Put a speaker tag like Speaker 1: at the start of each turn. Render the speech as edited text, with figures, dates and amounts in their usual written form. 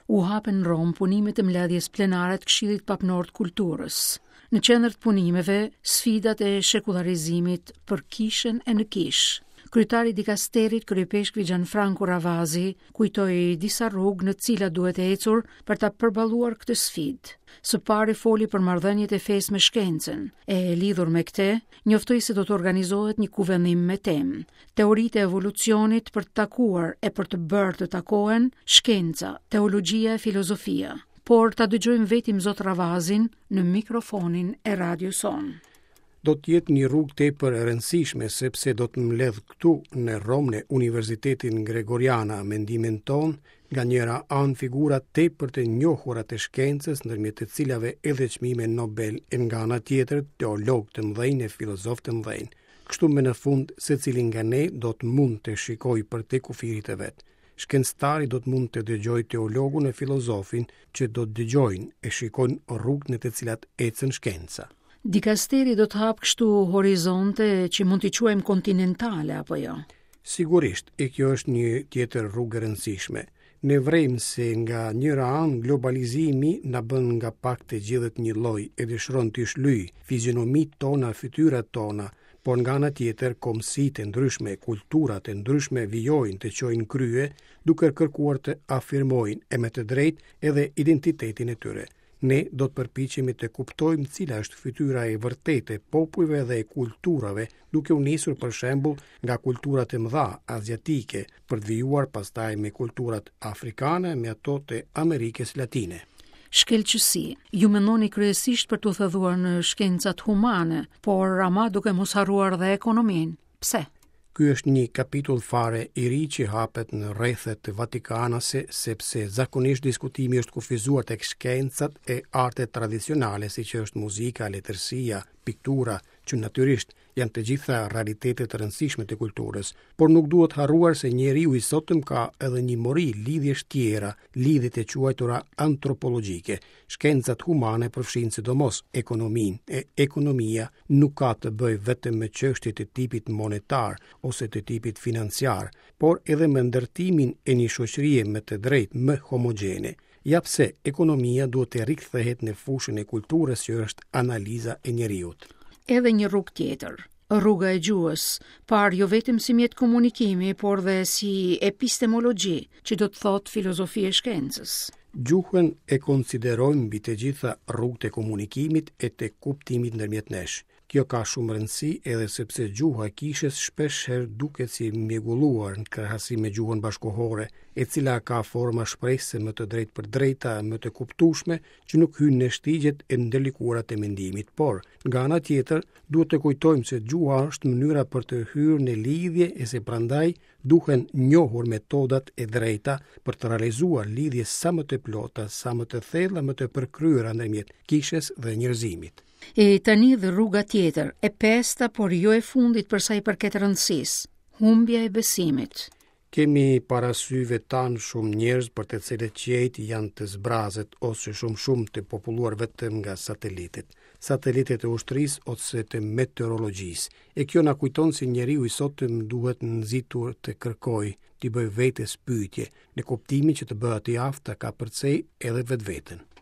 Speaker 1: U hapën në Romë punimet e mbledhjes plenare të Këshillit Papnor të Kulturës. Në qendër të punimeve, sfidat e shekullarizimit për kishën e në kishë. Kryetari i dikasterit, kryeipeshkvi Gianfranco Ravasi, kujtoi disa rrugë në të cilat duhet ecur për ta përballuar këtë sfidë. Së pari foli për marrëdhëniet e fesë me shkencën, e lidhur me këtë, njoftoi se do të organizohet një kuvendim me temë Teoritë e evolucionit për të takuar e për të bërë të takohen shkenca, teologjia e filozofia. Por ta dëgjojmë vetë Imzot Ravazin në mikrofonin e radios sonë.
Speaker 2: Do të jetë një rrugë tepër e rëndësishme sepse do të mbledhë këtu në Romë në Universitetin Gregoriana mendimin tonë nga njëra anë figura tepër të njohura të shkencës ndërmjet të cilave edhe çmime Nobel e nga ana tjetër teologë të mëdhenj e filozofë të mëdhenj. Kështu më në fund secili nga ne do të mund të shikojë përtej kufirit të vet. Shkencëtari do të mund të dëgjojë teologun e filozofin që do të dëgjojnë e shikojnë rrugët në të cilat ecën shkenca.
Speaker 1: Dikasteri do të hapë kështu horizonte që mund t'i quajmë kontinentale apo jo?
Speaker 2: Sigurisht, e kjo është një tjetër rrugë e rëndësishme. Ne vërejmë se nga njëra anë globalizimi na bën nga pak të gjithët njëlloj e dëshiron t'i shlyejë fizionomitë tona, fytyrat tona, por nga ana tjetër kombësitë e ndryshme, kulturat e ndryshme vijojnë të çojnë krye duke kërkuar të afirmojnë e me të drejtë edhe identitetin e tyre. Ne do të përpiqemi të kuptojmë cila është fytyra e vërtetë e popujve dhe e kulturave, duke u nisur për shembull nga kulturat e mëdha aziatike, për të vijuar pastaj me kulturat afrikane, me ato të Amerikës Latine.
Speaker 1: Shkëlqesi, ju mendoni kryesisht për t'u thelluar në shkencat humane, por ama duke mos harruar dhe ekonominë. Pse?
Speaker 2: Ky është një kapitull fare i ri që hapet në rrethet vatikanase, sepse zakonisht diskutimi është kufizuar tek shkencat e artet tradicionale, siç është muzika, letërsia, piktura, që natyrisht janë të gjitha realitete të rëndësishme të kulturës, por nuk duhet harruar se njeriu i sotëm ka edhe një mori lidhjesh tjera, lidhjet e quajtura antropologjike. Shkencat humane përfshijnë sidomos ekonominë, e ekonomia nuk ka të bëjë vetëm me çështje të tipit monetar ose të tipit financiar, por edhe me ndërtimin e një shoqërie me të drejtë më homogjene. Ja pse ekonomia duhet të rikthehet në fushën e kulturës që është analiza e njeriut.
Speaker 1: Edhe një rrugë tjetër, rruga e gjuhës, parë jo vetëm si mjet komunikimi, por dhe si epistemologji, që do të thotë filozofi e shkencës.
Speaker 2: Gjuhën e konsiderojmë mbi të gjitha rrugë të komunikimit e të kuptimit ndërmjet nesh. Kjo ka shumë rëndësi edhe sepse gjuha e kishës shpesh herë duket si e mjegulluar në krahasim me gjuhën bashkëkohore, e cila ka forma shprehëse më të drejtpërdrejta, më të kuptueshme, që nuk hyjnë në shtigjet e ndërlikuara të mendimit. Por, nga ana tjetër, duhet të kujtojmë se gjuha është mënyra për të hyrë në lidhje e se prandaj duhen njohur metodat e drejta për të realizuar lidhje sa më të plota, sa më të thella, më të përkryera ndërmjet kishës dhe njerëzimit.
Speaker 1: E tani dhe rruga tjetër, e pesta, por jo e fundit për sa i përket rëndësisë, humbja e besimit.
Speaker 2: Kemi para syve tanë shumë njerëz për të cilët qiejt janë të zbrazët ose shumë shumë të populluar vetëm nga satelitët. Satelitët e ushtrisë ose të meteorologjisë. E kjo na kujton se njeriu i sotëm duhet nxitur të kërkojë, t'i bëjë vetes pyetje, në kuptimin që të bëhet i aftë ta kapërcejë edhe vetveten.